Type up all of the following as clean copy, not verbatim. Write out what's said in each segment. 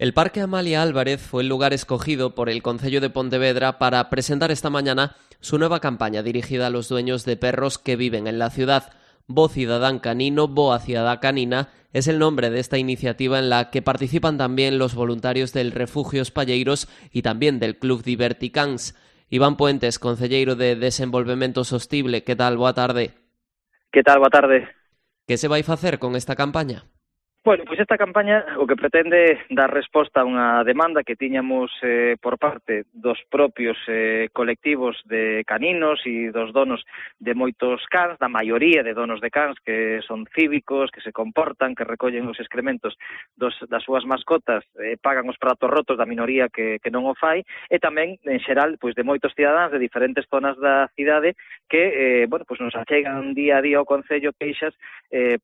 El Parque Amalia Álvarez fue el lugar escogido por el Concello de Pontevedra para presentar esta mañana su nueva campaña dirigida a los dueños de perros que viven en la ciudad. Bo Cidadán Canino, Boa Cidadá Canina es el nombre de esta iniciativa en la que participan también los voluntarios del Refugio Espalleiros y también del Club Diverticans. Iván Puentes, concelleiro de Desenvolvemento Sostible, que tal? Boa tarde. Que tal? Boa tarde. Que se vai facer con esta campaña? Bueno, pois esta campaña o que pretende dar resposta a unha demanda que tiñamos por parte dos propios colectivos de caninos e dos donos de moitos cans, da maioría de donos de cans que son cívicos, que se comportan, que recollen os excrementos das súas mascotas, pagan os pratos rotos da minoría que non o fai, e tamén, en xeral, pois de moitos cidadáns de diferentes zonas da cidade que, pois nos achegan día a día ao Concello queixas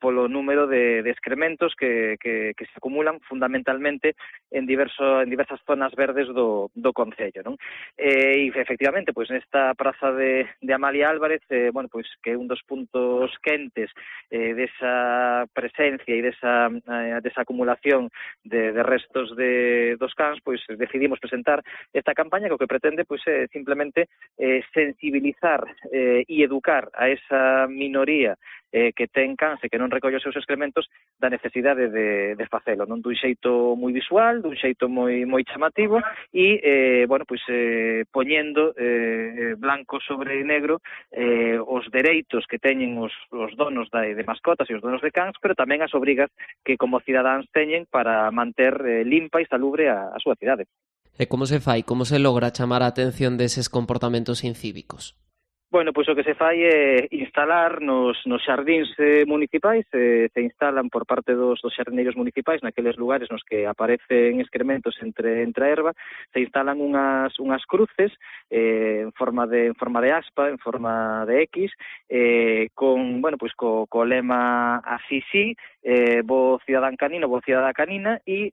polo número de excrementos que se acumulan fundamentalmente en diversas zonas verdes do Concello, non? E efectivamente, pois nesta praza de Amalia Álvarez, pois que é un dos puntos quentes desa presencia e desa acumulación de restos dos cans, pois decidimos presentar esta campaña que o que pretende pois é simplemente sensibilizar e educar a esa minoría que ten cans e que non recolle os seus excrementos da necesidade de facelo, non? Dun xeito moi visual, dun xeito moi chamativo e, poñendo blanco sobre negro os dereitos que teñen os donos de mascotas e os donos de cans, pero tamén as obrigas que como cidadáns teñen para manter limpa e salubre a súa cidade. E como se fai? Como se logra chamar a atención deses comportamentos incívicos? Bueno, pois o que se fai é instalar nos xardíns municipais, se instalan por parte dos xardineiros municipais naqueles lugares nos que aparecen excrementos entre a erva, se instalan unhas cruces en forma de aspa, en forma de X, con, co lema así sí, Bo Cidadán Canino, Bo Cidadá Canina, e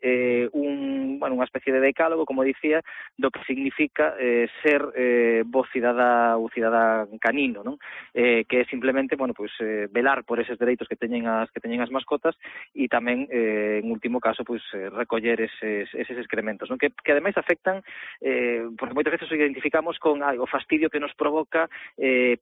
unha especie de decálogo, como dicía, do que significa ser bo cidadá ou cidadá canino, non? Que é simplemente, velar por eses dereitos que teñen as mascotas e tamén, en último caso, recoller eses excrementos, non? Que ademais afectan, porque moitas veces o identificamos con o fastidio que nos provoca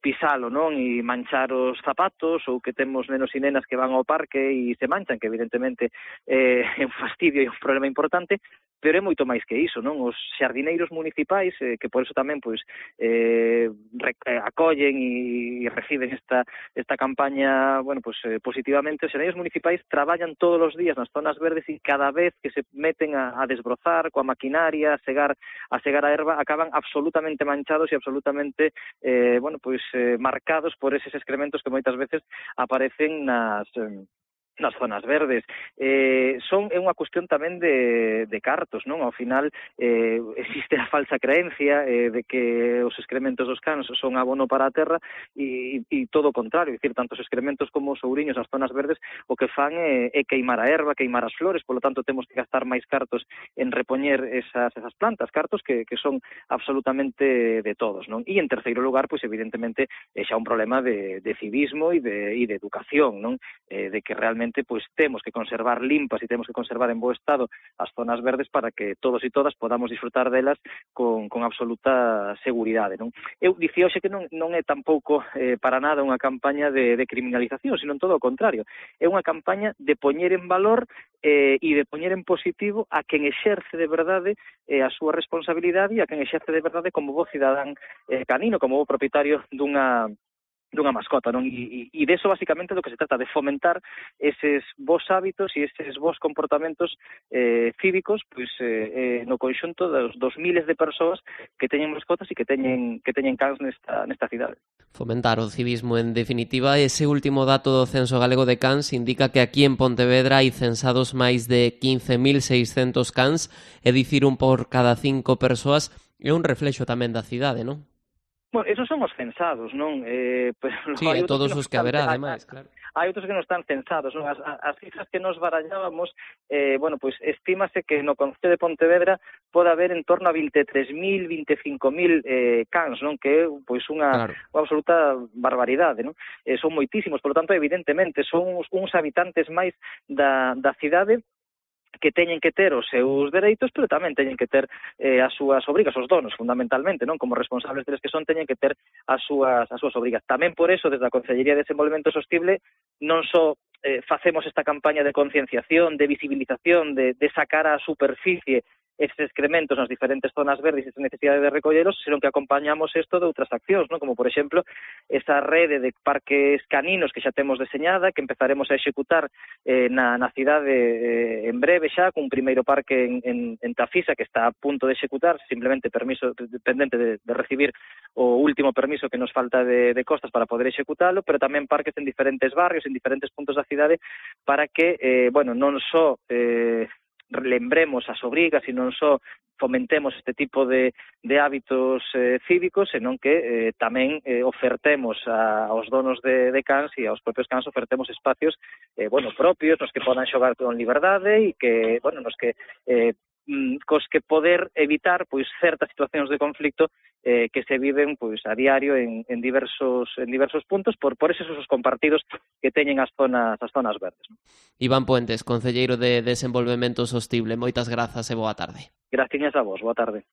pisalo, non? E manchar os zapatos, ou que temos nenos e nenas que van ao parque e se manchan, que evidentemente é un fastidio e un problema importante, pero é moito máis que iso, non? Os xardineiros municipais, que por eso tamén acollen e reciben esta campaña, positivamente. Os xardineiros municipais traballan todos os días nas zonas verdes e cada vez que se meten a desbrozar coa maquinaria, a segar a erva, acaban absolutamente manchados e absolutamente marcados por eses excrementos que moitas veces aparecen nas zonas verdes. É unha cuestión tamén de cartos, non? Ao final existe a falsa creencia de que os excrementos dos cans son abono para a terra e todo o contrario, é dicir, tanto os excrementos como os ouriños nas zonas verdes o que fan é queimar a erva, queimar as flores, polo tanto temos que gastar máis cartos en repoñer esas plantas, cartos que son absolutamente de todos, non? E en terceiro lugar, pois evidentemente é xa un problema de civismo e de educación, non? De que realmente temos que conservar limpas e temos que conservar en bo estado as zonas verdes para que todos e todas podamos disfrutar delas con absoluta seguridade, non? Eu dicía hoxe que non é tampouco para nada unha campaña de criminalización, sino todo o contrario. É unha campaña de poñer en valor e de poñer en positivo a quen exerce de verdade a súa responsabilidade e a quen exerce de verdade como bo cidadán canino, como bo propietario dunha mascota, non? E deso basicamente do que se trata, de fomentar eses bons hábitos e eses bons comportamentos cívicos, no conxunto dos miles de persoas que teñen mascotas e que teñen cans nesta cidade. Fomentar o civismo, en definitiva. Ese último dato do Censo Galego de Cans indica que aquí en Pontevedra hai censados máis de 15.600 cans, é dicir, un por cada 5 persoas, é un reflexo tamén da cidade, non? Bueno, esos son os censados, non? Sí, e todos os que haberá, ademais, claro. Hai outros que non están censados, non? As cifras que nos barallábamos, estímase que no Concello de Pontevedra pode haber en torno a 23.000, 25.000 cans, non? Que é, unha absoluta barbaridade, non? Son moitísimos, por lo tanto, evidentemente, son uns habitantes máis da cidade que teñen que ter os seus dereitos, pero tamén teñen que ter as súas obrigas, os donos, fundamentalmente, non? Como responsables deles que son, teñen que ter as súas obrigas. Tamén por eso, desde a Consellería de Desenvolvemento Sostible, non só facemos esta campaña de concienciación, de visibilización, de sacar á superficie estes excrementos nas diferentes zonas verdes e esa necesidade de recollelos, senón que acompañamos isto de outras accións, non? Como, por exemplo, esa rede de parques caninos que xa temos deseñada, que empezaremos a executar na cidade en breve xa, cun primeiro parque en Tafisa, que está a punto de executar, simplemente permiso pendente de recibir o último permiso que nos falta de costas para poder executalo, pero tamén parques en diferentes barrios, en diferentes puntos da cidade, para que, non só lembremos as obrigas e non só fomentemos este tipo de hábitos cívicos, senón que tamén ofertemos aos donos de cans e aos propios cans ofertemos espacios propios nos que podan xogar con liberdade e que, nos que cos que poder evitar pois certas situacións de conflicto que se viven pois a diario en diversos puntos por esos usos compartidos que teñen as zonas verdes. Iván Puentes, concelleiro de Desenvolvemento Sostible, moitas grazas e boa tarde. Graciñas a vos, boa tarde.